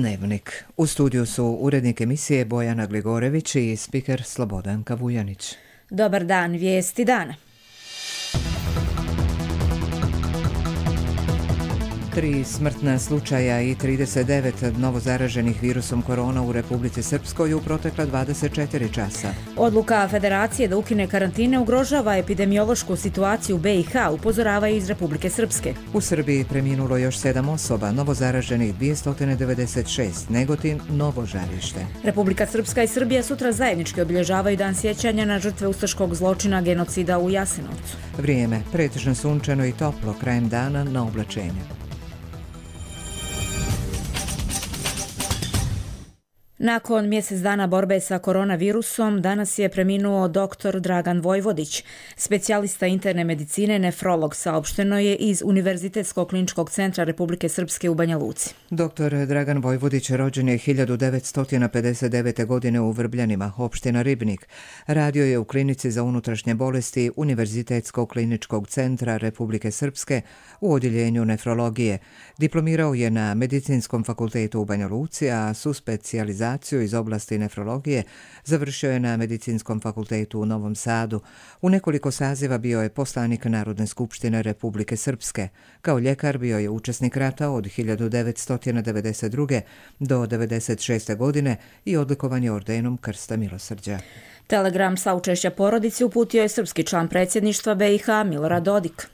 Dnevnik. U studiju su urednik emisije Bojana Gligorević i spiker Slobodanka Vujanić. Dobar dan, vijesti dana. 3 smrtna slučaja i 39 novozaraženih virusom korona u Republici Srpskoj u protekla 24 časa. Odluka Federacije da ukine karantine ugrožava epidemiološku situaciju u BiH, upozoravaju iz Republike Srpske. U Srbiji preminulo još 7 osoba, novozaraženih 296, Negotin, Novo Žarište. Republika Srpska i Srbija sutra zajednički obilježavaju dan sjećanja na žrtve ustaškog zločina genocida u Jasenovcu. Vrijeme, pretežno sunčano i toplo, krajem dana na oblačenje. Nakon mjesec dana borbe sa koronavirusom, danas je preminuo dr. Dragan Vojvodić, specijalista interne medicine, nefrolog, saopšteno je iz Univerzitetskog kliničkog centra Republike Srpske u Banja Luci. Dr. Dragan Vojvodić rođen je 1959. godine u Vrbljanima, opština Ribnik. Radio je u klinici za unutrašnje bolesti Univerzitetskog kliničkog centra Republike Srpske u odjeljenju nefrologije. Diplomirao je na Medicinskom fakultetu u Banja Luci, a su specijalizaciju iz oblasti nefrologije završio je na Medicinskom fakultetu u Novom Sadu. U nekoliko saziva bio je poslanik Narodne skupštine Republike Srpske. Kao ljekar bio je učesnik rata od 1992. do 1996. godine i odlikovan je ordenom Krsta milosrđa. Telegram saučešća porodici uputio je srpski član predsjedništva BiH Milorad Dodik.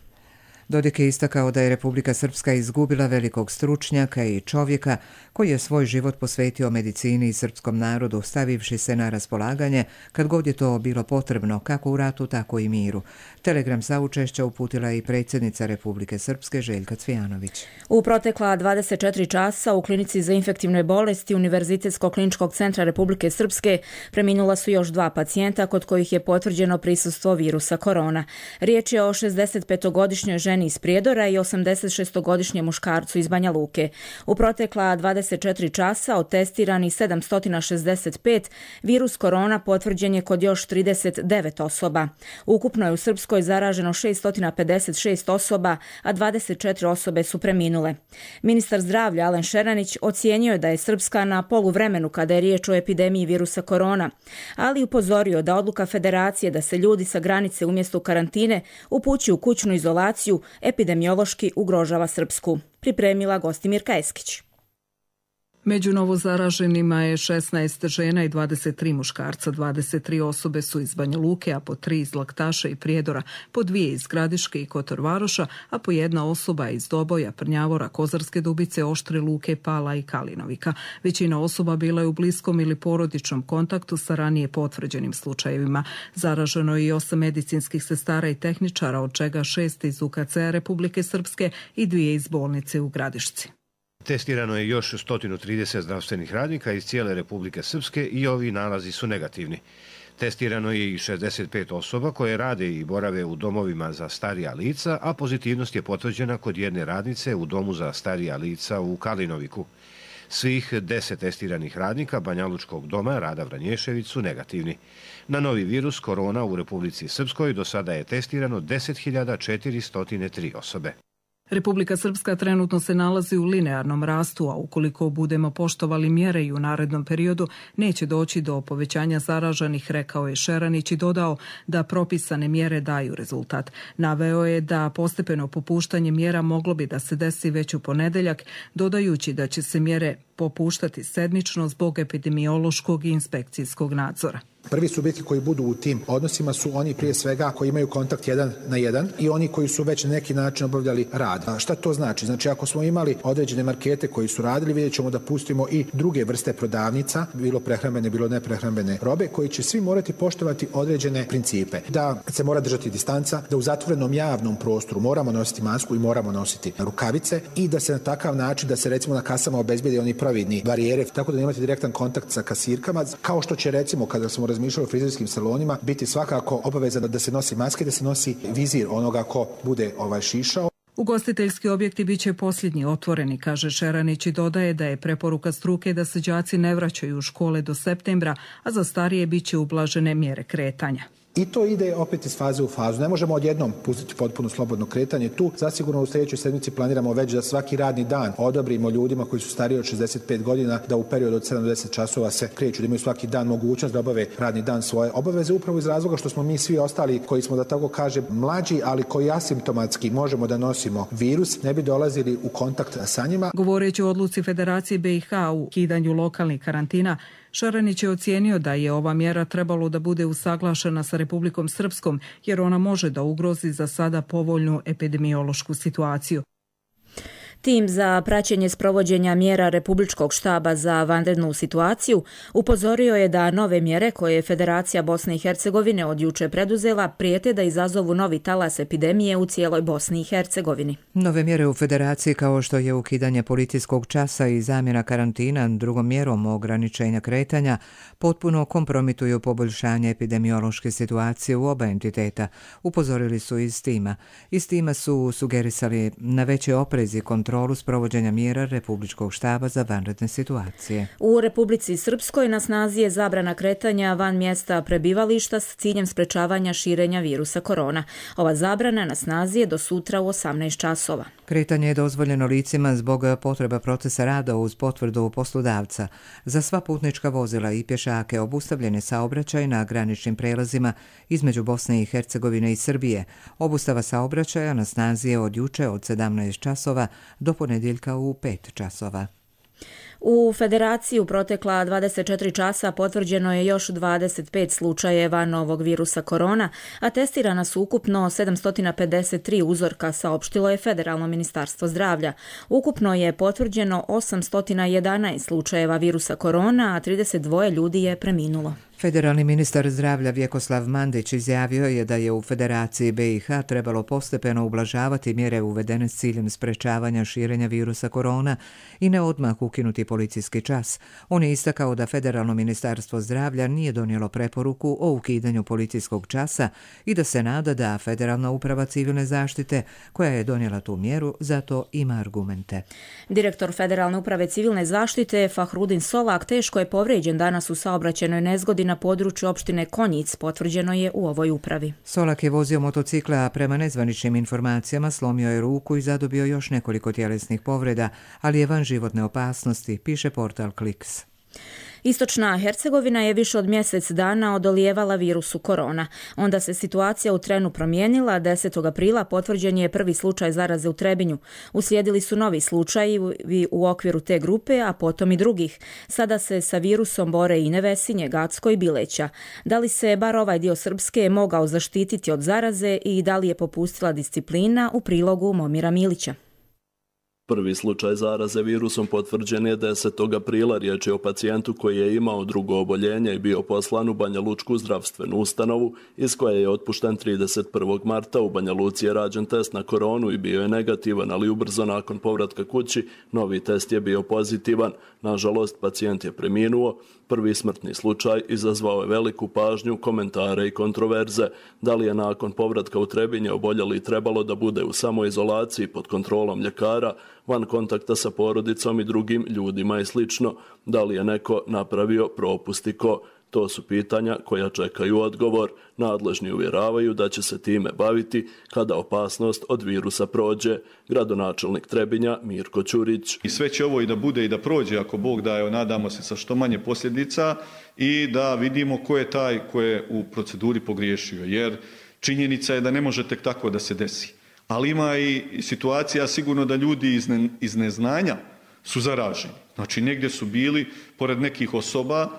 Dodik je istakao da je Republika Srpska izgubila velikog stručnjaka i čovjeka koji je svoj život posvetio medicini i srpskom narodu, stavivši se na raspolaganje kad god je to bilo potrebno, kako u ratu, tako i miru. Telegram saučešća uputila i predsjednica Republike Srpske Željka Cvijanović. U protekla 24 časa u klinici za infektivne bolesti Univerzitetskog kliničkog centra Republike Srpske preminula su još 2 pacijenta kod kojih je potvrđeno prisustvo virusa korona. Riječ je o 65-godišnjoj ženi iz Prijedora i 86-godišnjem muškarcu iz Banja Luke. U protekla 24 časa od testirani 765 virus korona potvrđen je kod još 39 osoba. Ukupno je u Srpskoj zaraženo 656 osoba, a 24 osobe su preminule. Ministar zdravlja Alen Šeranić ocijenio je da je Srpska na poluvremenu kada je riječ o epidemiji virusa korona, ali upozorio da odluka Federacije da se ljudi sa granice umjesto u karantine upućuju u kućnu izolaciju epidemiološki ugrožava Srpsku. Pripremila Gostimirka Eskić. Među novozaraženima je 16 žena i 23 muškarca. 23 osobe su iz Banja Luke, a po 3 iz Laktaša i Prijedora, po 2 iz Gradiške i Kotor Varoša, a po 1 osoba iz Doboja, Prnjavora, Kozarske Dubice, Oštre Luke, Pala i Kalinovika. Većina osoba bila je u bliskom ili porodičnom kontaktu sa ranije potvrđenim slučajevima. Zaraženo je i 8 medicinskih sestara i tehničara, od čega 6 iz UKC-a Republike Srpske i 2 iz bolnice u Gradišci. Testirano je još 130 zdravstvenih radnika iz cijele Republike Srpske i ovi nalazi su negativni. Testirano je i 65 osoba koje rade i borave u domovima za starija lica, a pozitivnost je potvrđena kod jedne radnice u domu za starija lica u Kalinoviku. Svih 10 testiranih radnika Banjalučkog doma Rada Vranješević su negativni. Na novi virus korona u Republici Srpskoj do sada je testirano 10.403 osobe. Republika Srpska trenutno se nalazi u linearnom rastu, a ukoliko budemo poštovali mjere i u narednom periodu, neće doći do povećanja zaraženih, rekao je Šeranić i dodao da propisane mjere daju rezultat. Naveo je da postepeno popuštanje mjera moglo bi da se desi već u ponedjeljak, dodajući da će se mjere popuštati sedmično zbog epidemiološkog i inspekcijskog nadzora. Prvi subjekti koji budu u tim odnosima su oni prije svega koji imaju kontakt 1 na 1 i oni koji su već na neki način obavljali rad. A šta to znači? Znači ako smo imali određene markete koji su radili, vidjet ćemo da pustimo i druge vrste prodavnica, bilo prehrambene, bilo neprehrambene robe, koji će svi morati poštovati određene principe. Da se mora držati distanca, da u zatvorenom javnom prostoru moramo nositi masku i moramo nositi rukavice i da se na takav način, da se recimo na kasama obezbijede oni providni barijere, tako da nemate direktan kontakt sa kasirkama, kao što će recimo kada smo razmišljali o frizerskim salonima biti svakako obaveza da se nosi maske, da se nosi vizir onoga ko bude šišao. Ugostiteljski objekti bit će posljednji otvoreni, kaže Šeranić i dodaje da je preporuka struke da se đaci ne vraćaju u škole do septembra, a za starije bit će ublažene mjere kretanja. I to ide opet iz faze u fazu. Ne možemo odjednom pustiti potpuno slobodno kretanje. Tu zasigurno u sljedećoj sedmici planiramo već da svaki radni dan odobrimo ljudima koji su stariji od 65 godina da u periodu od 70 časova se kreću, da imaju svaki dan mogućnost da obave radni dan svoje obaveze, upravo iz razloga što smo mi svi ostali koji smo, da tako kažem, mlađi, ali koji asimptomatski možemo da nosimo virus, ne bi dolazili u kontakt sa njima. Govoreći o odluci Federacije BiH u ukidanju lokalnih karantina, Šaranić je ocijenio da je ova mjera trebalo da bude usaglašena sa Republikom Srpskom, jer ona može da ugrozi za sada povoljnu epidemiološku situaciju. Tim za praćenje sprovođenja mjera Republičkog štaba za vanrednu situaciju upozorio je da nove mjere koje je Federacija Bosne i Hercegovine od juče preduzela prijete da izazovu novi talas epidemije u cijeloj Bosni i Hercegovini. Nove mjere u Federaciji kao što je ukidanje policijskog časa i zamjena karantina drugom mjerom ograničenja kretanja potpuno kompromituju poboljšanje epidemiološke situacije u oba entiteta, upozorili su iz tima. Iz tima su sugerisali na veće oprez i kontrolu sprovođenja mjera Republičkog štaba za vanredne situacije. U Republici Srpskoj na snazi je zabrana kretanja van mjesta prebivališta s ciljem sprečavanja širenja virusa korona. Ova zabrana na snazi je do sutra u 18 časova. Kretanje je dozvoljeno licima zbog potreba procesa rada uz potvrdu poslodavca. Za sva putnička vozila i pješake obustavljen je saobraćaj na graničnim prelazima između Bosne i Hercegovine i Srbije. Obustava saobraćaja na snazi je od juče od 17 časova do ponedjeljka u 5 časova. U Federaciji u protekla 24 časa potvrđeno je još 25 slučajeva novog virusa korona, a testirana su ukupno 753 uzorka, saopštilo je Federalno ministarstvo zdravlja. Ukupno je potvrđeno 811 slučajeva virusa korona, a 32 ljudi je preminulo. Federalni ministar zdravlja Vjekoslav Mandić izjavio je da je u Federaciji BiH trebalo postepeno ublažavati mjere uvedene s ciljem sprečavanja širenja virusa korona i ne odmah ukinuti policijski čas. On je istakao da Federalno ministarstvo zdravlja nije donijelo preporuku o ukidanju policijskog časa i da se nada da Federalna uprava civilne zaštite, koja je donijela tu mjeru, zato ima argumente. Direktor Federalne uprave civilne zaštite Fahrudin Solak teško je povrijeđen danas u saobraćajnoj nezgodi na području opštine Konjic, potvrđeno je u ovoj upravi. Solak je vozio motocikla, a prema nezvaničnim informacijama slomio je ruku i zadobio još nekoliko tjelesnih povreda, ali je van životne opasnosti, piše portal Kliks. Istočna Hercegovina je više od mjesec dana odolijevala virusu korona. Onda se situacija u trenu promijenila. 10. aprila potvrđen je prvi slučaj zaraze u Trebinju. Uslijedili su novi slučajevi u okviru te grupe, a potom i drugih. Sada se sa virusom bore i Nevesinje, Gacko i Bileća. Da li se bar ovaj dio Srpske mogao zaštititi od zaraze i da li je popustila disciplina, u prilogu Momira Milića. Prvi slučaj zaraze virusom potvrđen je 10. aprila. Riječ je o pacijentu koji je imao drugo oboljenje i bio poslan u Banja Lučku zdravstvenu ustanovu, iz koje je otpušten 31. marta. U Banja Luci je rađen test na koronu i bio je negativan, ali ubrzo nakon povratka kući novi test je bio pozitivan. Nažalost, pacijent je preminuo. Prvi smrtni slučaj izazvao je veliku pažnju, komentare i kontroverze. Da li je nakon povratka u Trebinje oboljeli trebalo da bude u samoizolaciji pod kontrolom ljekara, van kontakta sa porodicom i drugim ljudima i slično? Da li je neko napravio propust i ko? To su pitanja koja čekaju odgovor. Nadležni uvjeravaju da će se time baviti kada opasnost od virusa prođe. Gradonačelnik Trebinja Mirko Ćurić. I sve će ovo i da bude i da prođe, ako Bog daje, nadamo se sa što manje posljedica, i da vidimo ko je taj ko je u proceduri pogriješio. Jer činjenica je da ne može tek tako da se desi. Ali ima i situacija sigurno da ljudi iz neznanja su zaraženi. Znači negdje su bili pored nekih osoba,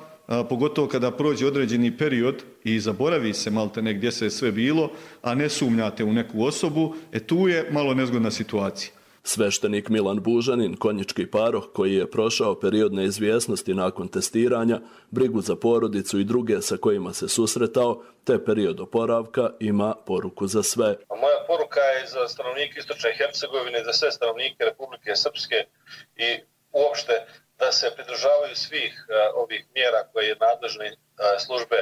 pogotovo kada prođe određeni period i zaboravi se maltene gdje se je sve bilo, a ne sumnjate u neku osobu, tu je malo nezgodna situacija. Sveštenik Milan Bužanin, konjički paroh koji je prošao period neizvjesnosti nakon testiranja, brigu za porodicu i druge sa kojima se susretao, te period oporavka, ima poruku za sve. Moja poruka je za stanovnike Istočne Hercegovine, za sve stanovnike Republike Srpske i uopšte da se pridržavaju svih ovih mjera koje nadležne službe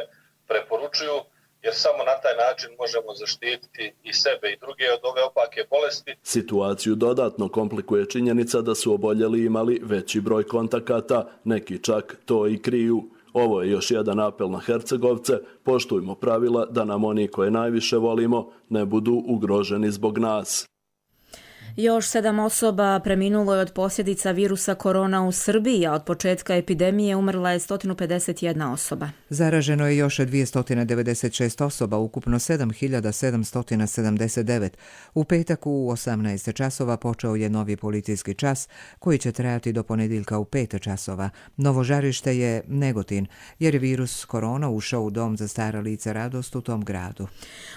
preporučuju, jer samo na taj način možemo zaštititi i sebe i druge od ove opake bolesti. Situaciju dodatno komplikuje činjenica da su oboljeli imali veći broj kontakata, neki čak to i kriju. Ovo je još jedan apel na Hercegovce, poštujmo pravila da nam oni koje najviše volimo ne budu ugroženi zbog nas. Još 7 osoba preminulo je od posljedica virusa korona u Srbiji, a od početka epidemije umrla je 151 osoba. Zaraženo je još 296 osoba, ukupno 7779. U petak u 18 časova počeo je novi policijski čas koji će trajati do ponedjeljka u 5 časova. Novo žarište je Negotin, jer je virus korona ušao u dom za stara lica Radost u tom gradu.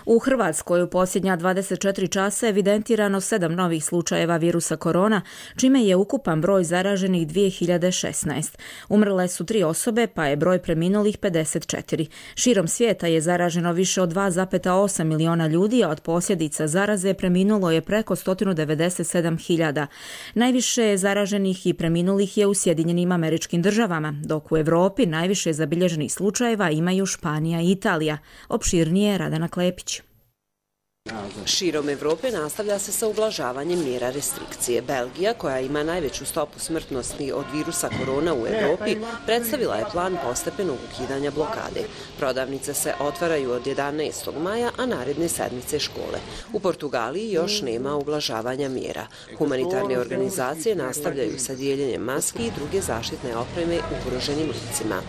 U Hrvatskoj u posljednja 24 časa evidentirano 7 novih slučajeva virusa korona, čime je ukupan broj zaraženih 2016. Umrle su 3 osobe, pa je broj preminulih 54. Širom svijeta je zaraženo više od 2,8 miliona ljudi, a od posljedica zaraze preminulo je preko 197.000. Najviše zaraženih i preminulih je u Sjedinjenim Američkim Državama, dok u Europi najviše zabilježenih slučajeva imaju Španija i Italija. Opširnije Radana Klepić. Širom Evrope nastavlja se sa ublažavanjem mjera restrikcije. Belgija, koja ima najveću stopu smrtnosti od virusa korona u Evropi, predstavila je plan postepenog ukidanja blokade. Prodavnice se otvaraju od 11. maja, a naredne sedmice škole. U Portugaliji još nema ublažavanja mjera. Humanitarne organizacije nastavljaju sa dijeljenjem maski i druge zaštitne opreme ugroženim licima.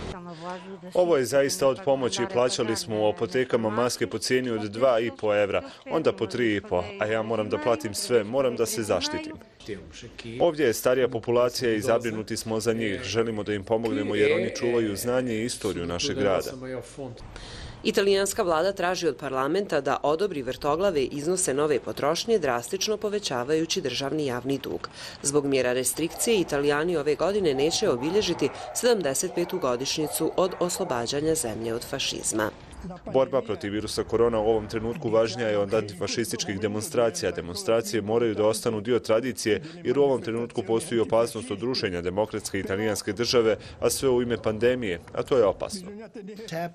Ovo je zaista od pomoći. Plaćali smo u apotekama maske po cijeni od 2,5 evra, onda po 3,5, a ja moram da platim sve, moram da se zaštitim. Ovdje je starija populacija i zabrinuti smo za njih. Želimo da im pomognemo jer oni čuvaju znanje i istoriju našeg grada. Italijanska vlada traži od parlamenta da odobri vrtoglave iznose nove potrošnje, drastično povećavajući državni javni dug. Zbog mjera restrikcije, Italijani ove godine neće obilježiti 75. godišnjicu od oslobađanja zemlje od fašizma. Borba protiv virusa korona u ovom trenutku važnija je od antifašističkih demonstracija. Demonstracije moraju da ostanu dio tradicije jer u ovom trenutku postoji opasnost od rušenja demokratske italijanske države, a sve u ime pandemije, a to je opasno.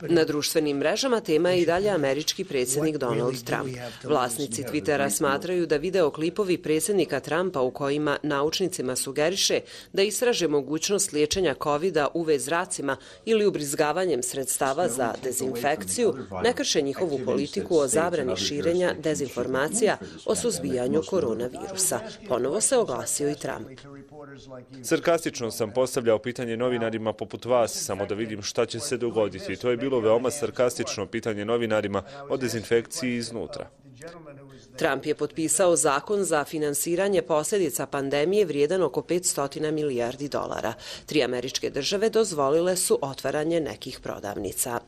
Na društvenim mrežama tema je i dalje američki predsjednik Donald Trump. Vlasnici Twittera smatraju da videoklipovi predsjednika Trumpa u kojima naučnicima sugeriše da istraže mogućnost liječenja COVID-a UV zracima ili ubrizgavanjem sredstava za dezinfekciju ne krše njihovu politiku o zabrani širenja dezinformacija o suzbijanju koronavirusa. Ponovo se oglasio i Trump. Sarkastično sam postavljao pitanje novinarima poput vas, samo da vidim šta će se dogoditi. To je bilo veoma sarkastično pitanje novinarima o dezinfekciji iznutra. Trump je potpisao zakon za finansiranje posljedica pandemije vrijedan oko 500 milijardi dolara. 3 američke države dozvolile su otvaranje nekih prodavnica.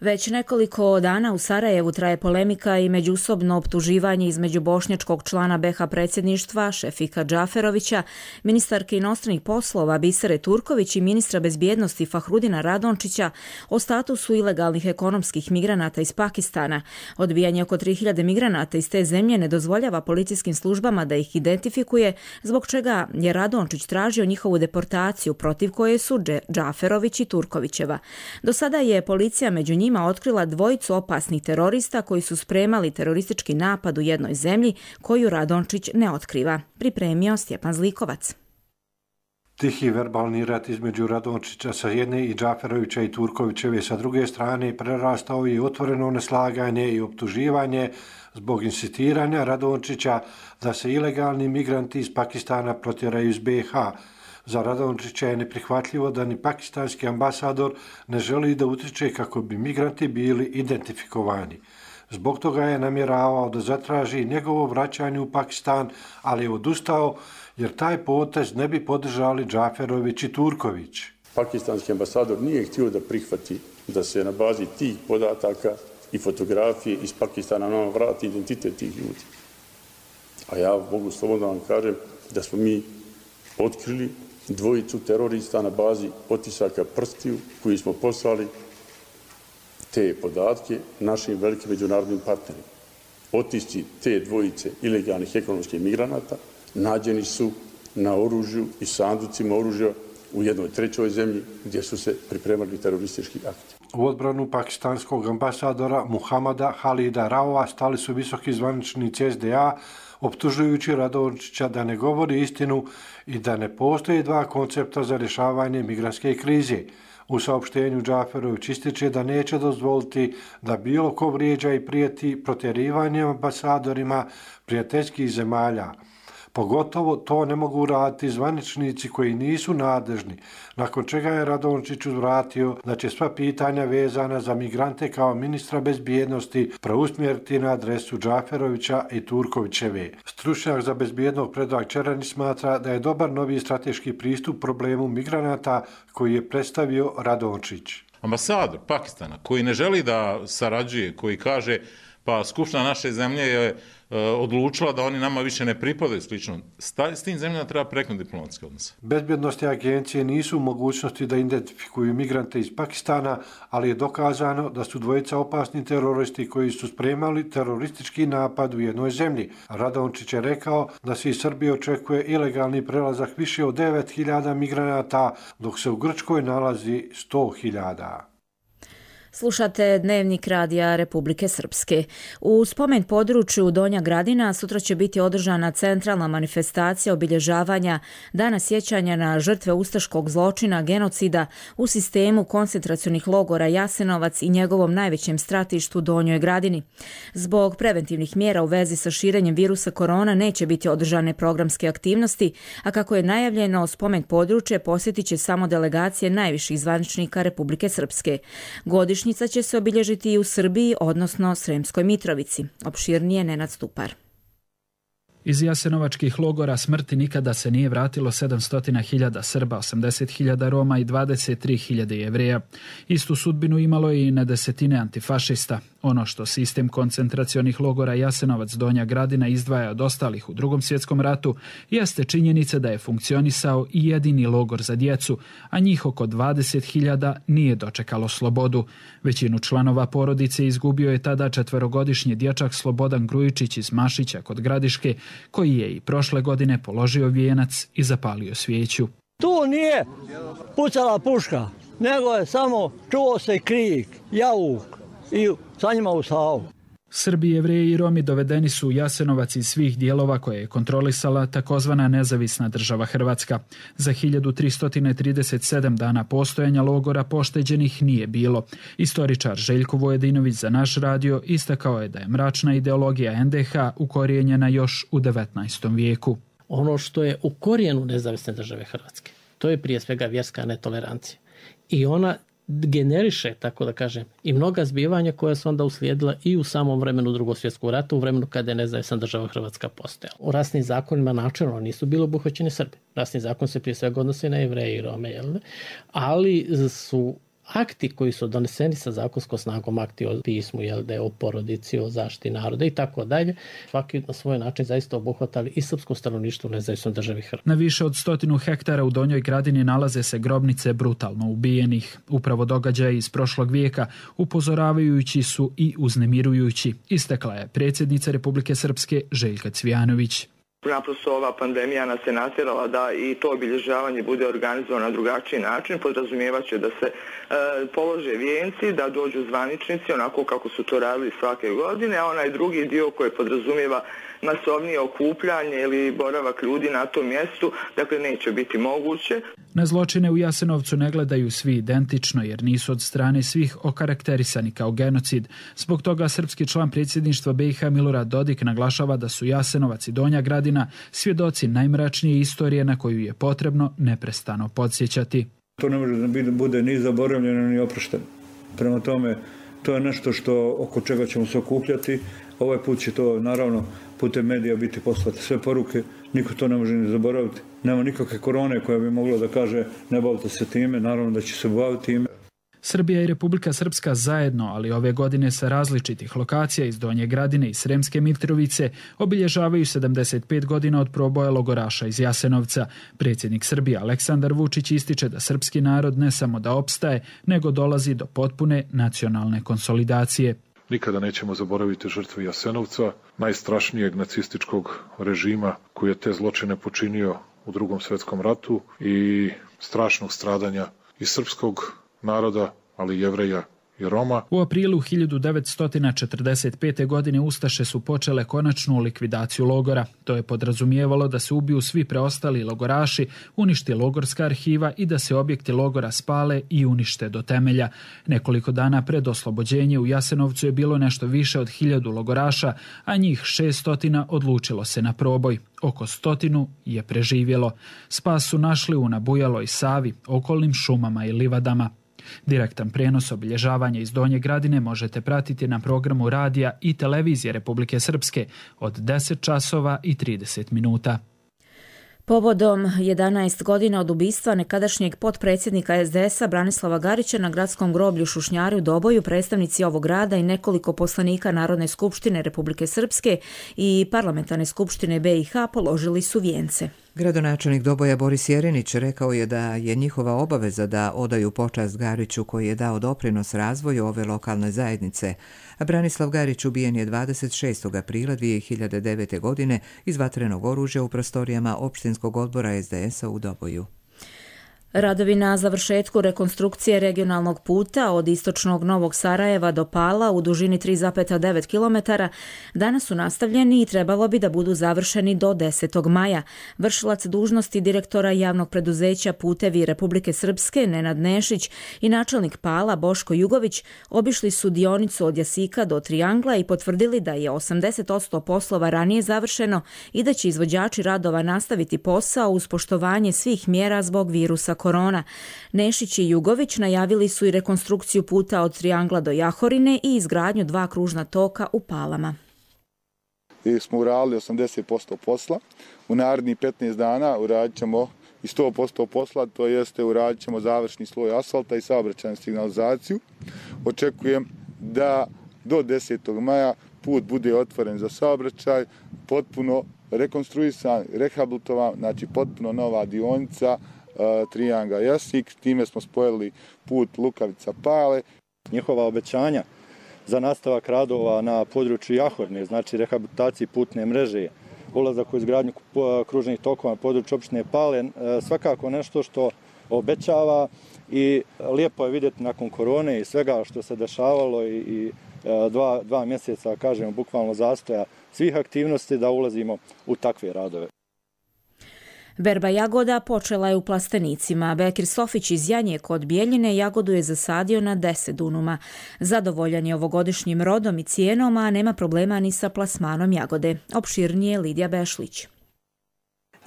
Već nekoliko dana u Sarajevu traje polemika i međusobno optuživanje između bošnjačkog člana BiH predsjedništva Šefika Džaferovića, ministarke inostranih poslova Bisere Turković i ministra bezbjednosti Fahrudina Radončića o statusu ilegalnih ekonomskih migranata iz Pakistana. Odbijanje oko 3000 migranata iz te zemlje ne dozvoljava policijskim službama da ih identifikuje, zbog čega je Radončić tražio njihovu deportaciju, protiv koje su Džaferović i Turkovićeva. Do sada je policija među njima otkrila 2 opasnih terorista koji su spremali teroristički napad u jednoj zemlji koju Radončić ne otkriva. Pripremio Stjepan Zlikovac. Tihi verbalni rat između Radončića sa jedne i Džaferovića i Turkovićeve sa druge strane prerastao je otvoreno neslaganje i optuživanje zbog insistiranja Radončića da se ilegalni migranti iz Pakistana protjeraju iz BiH. Za Radončića je neprihvatljivo da ni pakistanski ambasador ne želi da utiče kako bi migranti bili identifikovani. Zbog toga je namjeravao da zatraži njegovo vraćanje u Pakistan, ali je odustao jer taj potez ne bi podržali Džaferović i Turković. Pakistanski ambasador nije htio da prihvati da se na bazi tih podataka i fotografije iz Pakistana nam vrati identitet tih ljudi. A ja mogu slobodno vam kažem da smo mi otkrili 2 terorista na bazi otisaka prstiju koji smo poslali te podatke našim velikim međunarodnim partnerima. Otisci te 2 ilegalnih ekonomskih migranata nađeni su na oružju i sanducima oružja u jednoj 3. zemlji gdje su se pripremali teroristički akti. U odbranu pakistanskog ambasadora Muhamada Halida Raova stali su visoki zvaničnici SDA, optužujući Radončića da ne govori istinu i da ne postoje dva koncepta za rješavanje migrantske krize. U saopštenju Džaferović ističe da neće dozvoliti da bilo ko vrijeđa i prijeti protjerivanjem ambasadorima prijateljskih zemalja. Pogotovo to ne mogu raditi zvaničnici koji nisu nadležni, nakon čega je Radončić uzvratio da će sva pitanja vezana za migrante kao ministra bezbjednosti preusmjeriti na adresu Džaferovića i Turkovićeve. Stručnjak za bezbjednost Predrag Čerani smatra da je dobar novi strateški pristup problemu migranata koji je predstavio Radončić. Ambasador Pakistana koji ne želi da sarađuje, koji kaže pa Skupština naše zemlje je odlučila da oni nama više ne pripadaju slično. S tim zemljama treba prekinuti diplomatske odnose. Bezbjednostne agencije nisu u mogućnosti da identifikuju migrante iz Pakistana, ali je dokazano da su dvojica opasni teroristi koji su spremali teroristički napad u jednoj zemlji. Radončić je rekao da se iz Srbije očekuje ilegalni prelazak više od 9.000 migranata, dok se u Grčkoj nalazi 100.000. Slušate Dnevnik radija Republike Srpske. U spomen području Donja Gradina sutra će biti održana centralna manifestacija obilježavanja Dana sjećanja na žrtve ustaškog zločina genocida u sistemu koncentracionih logora Jasenovac i njegovom najvećem stratištu Donjoj Gradini. Zbog preventivnih mjera u vezi sa širenjem virusa korona neće biti održane programske aktivnosti, a kako je najavljeno, spomen područje posjetit će samo delegacije najviših zvaničnika Republike Srpske. Godišnjica će se obilježiti i u Srbiji, odnosno Sremskoj Mitrovici. Opširnije Nenad Stupar. Iz jasenovačkih logora smrti nikada se nije vratilo 700.000 Srba, 80.000 Roma i 23.000 Jevreja. Istu sudbinu imalo je i na desetine antifašista. Ono što sistem koncentracionih logora Jasenovac Donja Gradina izdvaja od ostalih u Drugom svjetskom ratu jeste činjenica da je funkcionisao i jedini logor za djecu, a njih oko 20.000 nije dočekalo slobodu. Većinu članova porodice izgubio je tada 4-godišnji dječak Slobodan Grujičić iz Mašića kod Gradiške, koji je i prošle godine položio vijenac i zapalio svijeću. Tu nije pucala puška, nego je samo čuo se krik, jauk i sa njima u Savu. Srbi, Jevreji i Romi dovedeni su u Jasenovac iz svih dijelova koje je kontrolisala takozvana nezavisna država Hrvatska. Za 1337 dana postojanja logora pošteđenih nije bilo. Istoričar Željko Vojedinović za naš radio istakao je da je mračna ideologija NDH ukorijenjena još u 19. vijeku. Ono što je u korijenu nezavisne države Hrvatske, to je prije svega vjerska netolerancija. I ona generiše, tako da kažem, i mnoga zbivanja koja su onda uslijedila i u samom vremenu Drugog svjetskog rata, u vremenu kada je nezavisna država Hrvatska postojala. U rasnim zakonima načelno nisu bili obuhvaćeni Srbi. Rasni zakon se prije svega odnosi na Jevreje i Rome, ali su akti koji su doneseni sa zakonskom snagom, akti o pismu, o porodici, o zaštiti naroda i tako dalje, svaki na svoj način zaista obuhvatali i srpsko stanovništvo u nezavisnoj državi Hrvatske. Na više od 100 hektara u Donjoj Gradini nalaze se grobnice brutalno ubijenih. Upravo događaji iz prošlog vijeka upozoravajući su i uznemirujući, istakla je predsjednica Republike Srpske Željka Cvijanović. Naprosto ova pandemija nas je natjerala da i to obilježavanje bude organizovano na drugačiji način. Podrazumijevaće da se polože vijenci, da dođu zvaničnici onako kako su to radili svake godine, a onaj drugi dio koji podrazumijeva masovnije okupljanje ili boravak ljudi na tom mjestu, dakle neće biti moguće. Na zločine u Jasenovcu ne gledaju svi identično jer nisu od strane svih okarakterisani kao genocid. Zbog toga srpski član predsjedništva BiH Milorad Dodik naglašava da su Jasenovac i Donja Gradina svjedoci najmračnije istorije na koju je potrebno neprestano podsjećati. To ne može da bude ni zaboravljeno ni oprošteno. Prema tome, to je nešto oko čega ćemo se okupljati. Ovaj put će to naravno putem medija biti poslati sve poruke. Niko to ne može ni zaboraviti. Nema nikakve korone koja bi mogla da kaže ne bavite se time. Naravno da će se baviti time. Srbija i Republika Srpska zajedno, ali ove godine sa različitih lokacija iz Donje Gradine i Sremske Mitrovice, obilježavaju 75 godina od proboja logoraša iz Jasenovca. Predsjednik Srbije Aleksandar Vučić ističe da srpski narod ne samo da opstaje, nego dolazi do potpune nacionalne konsolidacije. Nikada nećemo zaboraviti žrtve Jasenovca, najstrašnijeg nacističkog režima koji je te zločine počinio u Drugom svjetskom ratu i strašnog stradanja i srpskog naroda, ali i Jevreja i Roma. U aprilu 1945. godine Ustaše su počele konačnu likvidaciju logora. To je podrazumijevalo da se ubiju svi preostali logoraši, uništi logorska arhiva i da se objekti logora spale i unište do temelja. Nekoliko dana pred oslobođenje u Jasenovcu je bilo nešto više od 1000 logoraša, a njih 600 odlučilo se na proboj. Oko 100 je preživjelo. Spas su našli u Nabujaloj Savi, okolnim šumama i livadama. Direktan prijenos obilježavanja iz Donje Gradine možete pratiti na programu radija i televizije Republike Srpske od 10 časova i 30 minuta. Povodom 11 godina od ubistva nekadašnjeg potpredsjednika SDS-a Branislava Garića na gradskom groblju Šušnjari u Doboju predstavnici ovog grada i nekoliko poslanika Narodne skupštine Republike Srpske i Parlamentarne skupštine BiH položili su vijence. Gradonačelnik Doboja Boris Jerinić rekao je da je njihova obaveza da odaju počast Gariću koji je dao doprinos razvoju ove lokalne zajednice. Branislav Garić ubijen je 26. aprila 2009. godine iz vatrenog oružja u prostorijama opštinskog odbora SDS-a u Doboju. Radovi na završetku rekonstrukcije regionalnog puta od istočnog Novog Sarajeva do Pala u dužini 3,9 km danas su nastavljeni i trebalo bi da budu završeni do 10. maja. Vršilac dužnosti direktora javnog preduzeća Putevi Republike Srpske Nenad Nešić i načelnik Pala Boško Jugović obišli su dionicu od Jasika do Triangla i potvrdili da je 80% poslova ranije završeno i da će izvođači radova nastaviti posao uz poštovanje svih mjera zbog virusa korona. Nešić i Jugović najavili su i rekonstrukciju puta od Triangla do Jahorine i izgradnju 2 kružna toka u Palama. Smo uradili 80% posla. U narednih 15 dana uradit ćemo i 100% posla, to jeste uradit ćemo završni sloj asfalta i saobraćajnu signalizaciju. Očekujem da do 10. maja put bude otvoren za saobraćaj, potpuno rekonstruisan, rehabilitovan, znači potpuno nova dionica Trianga Jasik, time smo spojili put Lukavica Pale. Njihova obećanja za nastavak radova na području Jahorne, znači rehabilitaciji putne mreže, ulazak u izgradnju kružnih tokova na području opštine Pale, svakako nešto što obećava i lijepo je vidjeti nakon korone i svega što se dešavalo i dva mjeseca, kažemo, bukvalno zastoja svih aktivnosti da ulazimo u takve radove. Berba jagoda počela je u Plastenicima. Bekir Sofić iz Janje kod Bijeljine jagodu je zasadio na 10 dunuma. Zadovoljan je ovogodišnjim rodom i cijenom, a nema problema ni sa plasmanom jagode. Opširnije Lidija Bešlić.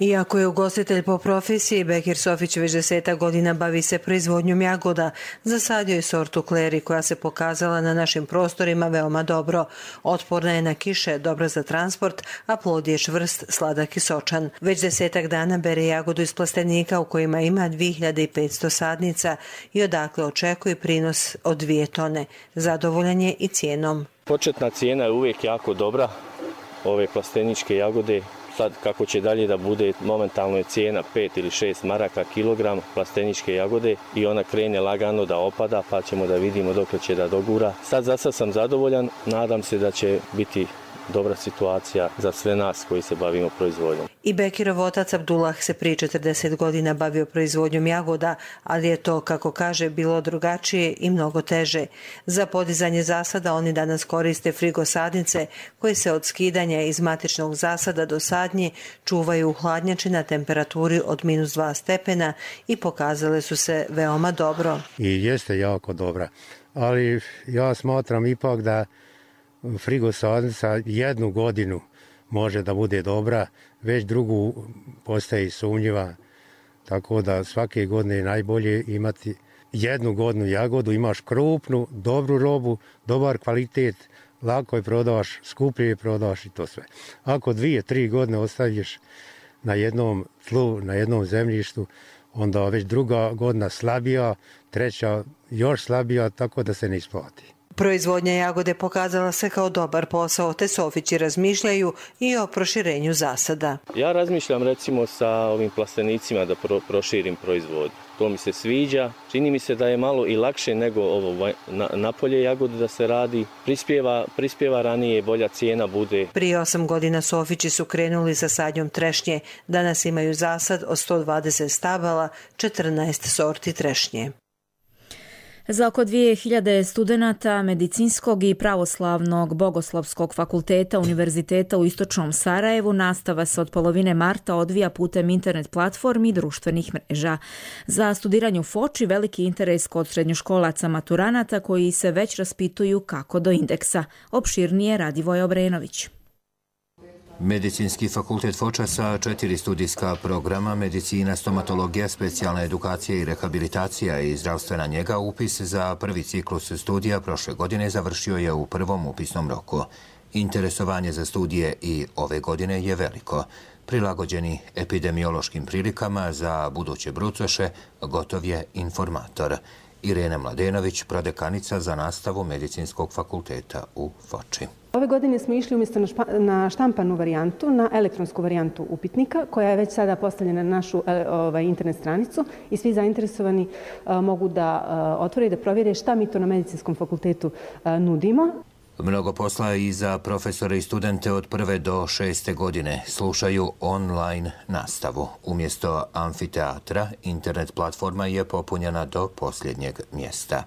Iako je ugostitelj po profesiji, Bekir Sofić već 10 godina bavi se proizvodnjom jagoda. Zasadio je sortu Kleri koja se pokazala na našim prostorima veoma dobro. Otporna je na kiše, dobra za transport, a plod je čvrst, sladak i sočan. Već 10 dana bere jagodu iz plastenika u kojima ima 2500 sadnica i odakle očekuje prinos od 2 tone. Zadovoljan je i cijenom. Početna cijena je uvijek jako dobra, ove plasteničke jagode. Sad kako će dalje da bude, momentalno je cijena 5 ili 6 maraka kilogram plasteničke jagode i ona krene lagano da opada, pa ćemo da vidimo dok će da dogura. Sad sam zadovoljan, nadam se da će biti dobra situacija za sve nas koji se bavimo proizvodnjom. I Bekirov otac Abdullah se prije 40 godina bavio proizvodnjom jagoda, ali je to, kako kaže, bilo drugačije i mnogo teže. Za podizanje zasada oni danas koriste frigosadnice koje se od skidanja iz matičnog zasada do sadnje čuvaju u hladnjači na temperaturi od -2 stepena i pokazale su se veoma dobro. I jeste jako dobra, ali ja smatram ipak da frigosadnica 1 godinu može da bude dobra, već drugu postaje sumnjiva, tako da svake godine je najbolje imati 1 godinu jagodu, imaš krupnu, dobru robu, dobar kvalitet, lako je prodaš, skuplje je prodaš i to sve. Ako 2-3 godine ostaviš na jednom tlu, na jednom zemljištu, onda već druga godina slabija, treća još slabija, tako da se ne isplati. Proizvodnja jagode pokazala se kao dobar posao, te Sofići razmišljaju i o proširenju zasada. Ja razmišljam recimo sa ovim plastenicima da proširim proizvodnju. To mi se sviđa. Čini mi se da je malo i lakše nego ovo napolje jagode da se radi. Prispjeva ranije, bolja cijena bude. Prije 8 godina Sofići su krenuli sa sadnjom trešnje. Danas imaju zasad od 120 stabala, 14 sorti trešnje. Za oko 2000 studenata medicinskog i pravoslavnog bogoslovskog fakulteta Univerziteta u Istočnom Sarajevu nastava se od polovine marta odvija putem internet platformi i društvenih mreža. Za studiranje u Foči veliki interes kod srednjoškolaca maturanata koji se već raspituju kako do indeksa. Opširnije Radivoj Obrenović. Medicinski fakultet Foča sa 4 studijska programa, medicina, stomatologija, specijalna edukacija i rehabilitacija i zdravstvena njega, upis za prvi ciklus studija prošle godine završio je u prvom upisnom roku. Interesovanje za studije i ove godine je veliko. Prilagođeni epidemiološkim prilikama za buduće brucoše, gotov je informator. Irena Mladenović, prodekanica za nastavu Medicinskog fakulteta u Foči. Ove godine smo išli umjesto na štampanu varijantu, na elektronsku varijantu upitnika, koja je već sada postavljena na našu internet stranicu i svi zainteresovani mogu da otvore i da provjere šta mi to na Medicinskom fakultetu nudimo. Mnogo posla i za profesore i studente od 1. do 6. godine. Slušaju online nastavu. Umjesto amfiteatra, internet platforma je popunjena do posljednjeg mjesta.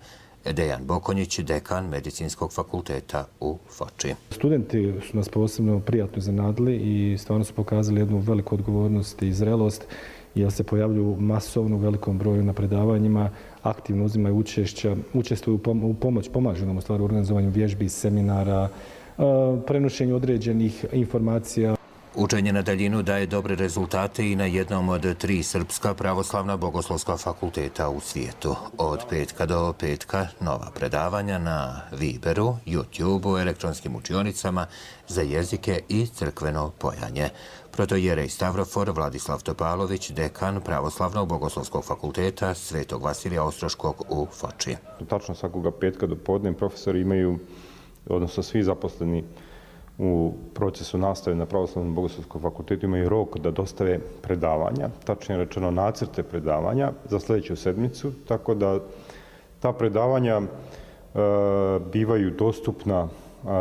Dejan Bokonjić, dekan Medicinskog fakulteta u Foči. Studenti su nas posebno prijatno iznenadili i stvarno su pokazali jednu veliku odgovornost i zrelost, jer se pojavljuju masovno u velikom broju na predavanjima, aktivno uzimaju učestvuju u pomoć, pomažu nam u stvari u organizovanju vježbi, seminara, prenošenju određenih informacija. Učenje na daljinu daje dobre rezultate i na jednom od 3 srpska pravoslavna bogoslovska fakulteta u svijetu. Od petka do petka nova predavanja na Viberu, YouTubeu, elektronskim učionicama za jezike i crkveno pojanje. Protojerej Stavrofor Vladislav Topalović, dekan pravoslavnog bogoslovskog fakulteta Svetog Vasilija Ostroškog u Foči. Tačno svakoga petka do podne profesori imaju, odnosno svi zaposleni u procesu nastave na Pravoslavnom bogoslovskom fakultetu imaju rok da dostave predavanja, tačnije rečeno nacrte predavanja za sljedeću sedmicu, tako da ta predavanja bivaju dostupna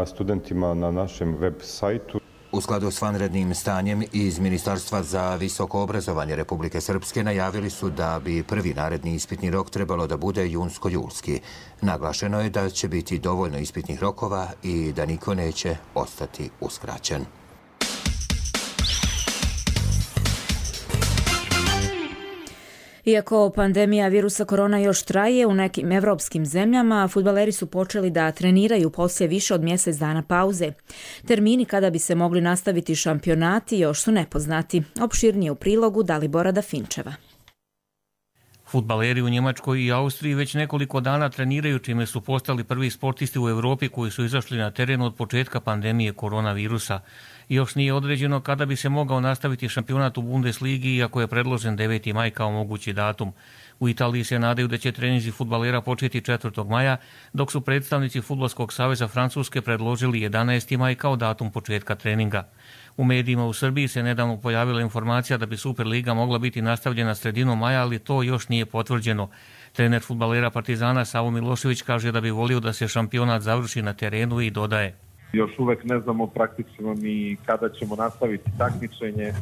studentima na našem web sajtu. U skladu s vanrednim stanjem iz Ministarstva za visoko obrazovanje Republike Srpske najavili su da bi prvi naredni ispitni rok trebalo da bude junsko-julski. Naglašeno je da će biti dovoljno ispitnih rokova i da niko neće ostati uskraćen. Iako pandemija virusa korona još traje u nekim evropskim zemljama, fudbaleri su počeli da treniraju poslije više od mjesec dana pauze. Termini kada bi se mogli nastaviti šampionati još su nepoznati. Opširnije u prilogu Dalibora Dafinčeva. Fudbaleri u Njemačkoj i Austriji već nekoliko dana treniraju, čime su postali prvi sportisti u Europi koji su izašli na teren od početka pandemije koronavirusa. Još nije određeno kada bi se mogao nastaviti šampionat u Bundesligi, iako je predložen 9. maj kao mogući datum. U Italiji se nadaju da će treninzi fudbalera početi 4. maja, dok su predstavnici Fudbalskog saveza Francuske predložili 11. maj kao datum početka treninga. U medijima u Srbiji se nedavno pojavila informacija da bi Superliga mogla biti nastavljena sredinom maja, ali to još nije potvrđeno. Trener fudbalera Partizana Savo Milošević kaže da bi volio da se šampionat završi na terenu i dodaje: još uvek ne znamo praktično ni kada ćemo nastaviti takmičenje,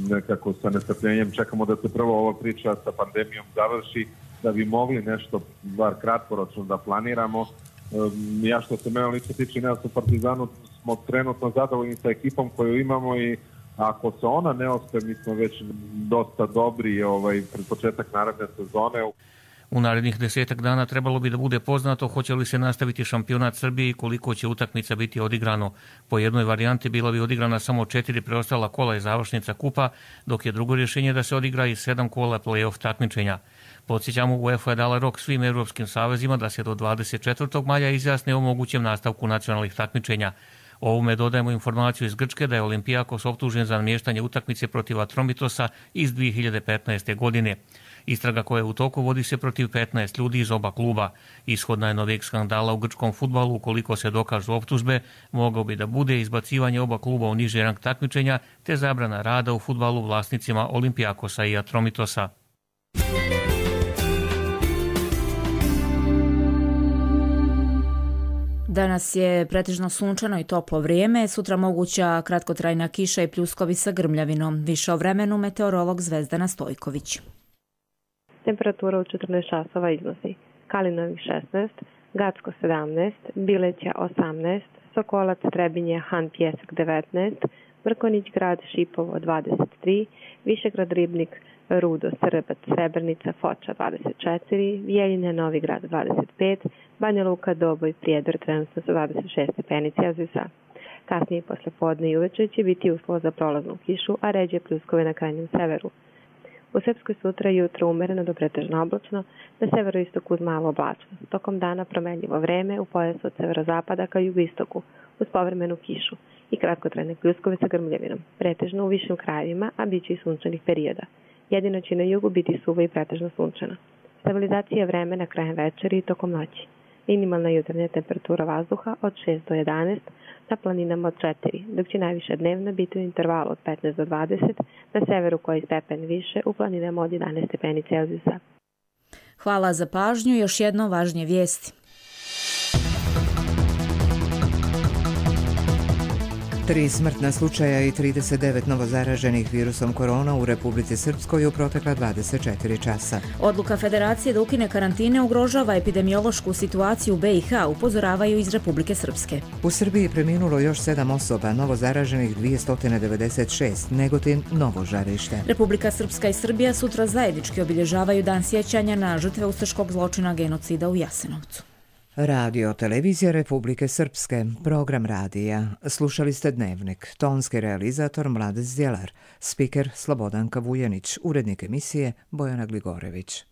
nekako sa nestrpljenjem čekamo da se prvo ova priča sa pandemijom završi, da bi mogli nešto bar kratkoročno da planiramo. Ja što se mene lično tiče, nas u Partizanu smo trenutno zadovoljni sa ekipom koju imamo i ako se ona ne ospe, mi smo već dosta dobri pred početak naredne sezone. U narednih 10 dana trebalo bi da bude poznato hoće li se nastaviti šampionat Srbije i koliko će utakmica biti odigrano. Po jednoj varijanti bila bi odigrana samo 4 preostala kola i završnica kupa, dok je drugo rješenje da se odigra i 7 kola play-off takmičenja. Podsjećamo, UEFA je dala rok svim europskim savezima da se do 24. maja izjasne o mogućem nastavku nacionalnih takmičenja. Ovome dodajemo informaciju iz Grčke da je Olimpijakos optužen za namještanje utakmice protiv Atromitosa iz 2015. godine. Istraga koja je u toku vodi se protiv 15 ljudi iz oba kluba. Ishod najnovijeg skandala u grčkom fudbalu, ukoliko se dokažu optužbe, mogao bi da bude izbacivanje oba kluba u niži rang takmičenja te zabrana rada u fudbalu vlasnicima Olimpijakosa i Atromitosa. Danas je pretežno sunčano i toplo vrijeme, sutra moguća kratkotrajna kiša i pljuskovi sa grmljavinom. Više o vremenu meteorolog Zvezdana Stojković. Temperatura u 14 časova izlazi. Kalinovi 16, Gacko 17, Bileća 18, Sokolac, Trebinje, Han Pjesak 19, Mrkonić grad, Šipovo 23, Višegrad, Ribnik, Rudo, Srbac, Srebrnica, Foča 24, Vijeljine, Novi grad 25, Banja Luka, Doboj, Prijedor trenutno sa 26 stepeni Celzijusa. Kasnije posle podne i uveče će biti uslov za prolaznu kišu, a ređe pljuskove na krajnjem severu. U Srpskoj sutra jutro umereno do pretežno oblačno, na severoistoku uz malo oblačnost. Tokom dana promenljivo vreme u pojasu od severozapada ka jugoistoku uz povremenu kišu i kratkotrajne pljuskove sa grmljavinom, pretežno u višim krajevima, a bit će i sunčanih perioda. Jedino će na jugu biti suvo i pretežno sunčano. Stabilizacija vremena krajem večeri i tokom noći. Minimalna jutarnja temperatura vazduha od 6 do 11, na planinama od 4, dok će najviša dnevna biti u intervalu od 15 do 20, na severu koji stepen više, u planinama od 11 stepeni Celzijusa. Hvala za pažnju. Još jedno važnije vijesti. 3 smrtna slučaja i 39 novozaraženih virusom korona u Republici Srpskoj u protekla 24 časa. Odluka Federacije da ukine karantine ugrožava epidemiološku situaciju u BiH, upozoravaju iz Republike Srpske. U Srbiji preminulo još 7 osoba, novozaraženih 296, Negotin novo žarište. Republika Srpska i Srbija sutra zajednički obilježavaju dan sjećanja na žrtve ustaškog zločina genocida u Jasenovcu. Radio Televizija Republike Srpske, program radija. Slušali ste Dnevnik, tonski realizator Mladen Zdjelar, spiker Slobodanka Vujanić, urednik emisije Bojana Gligorević.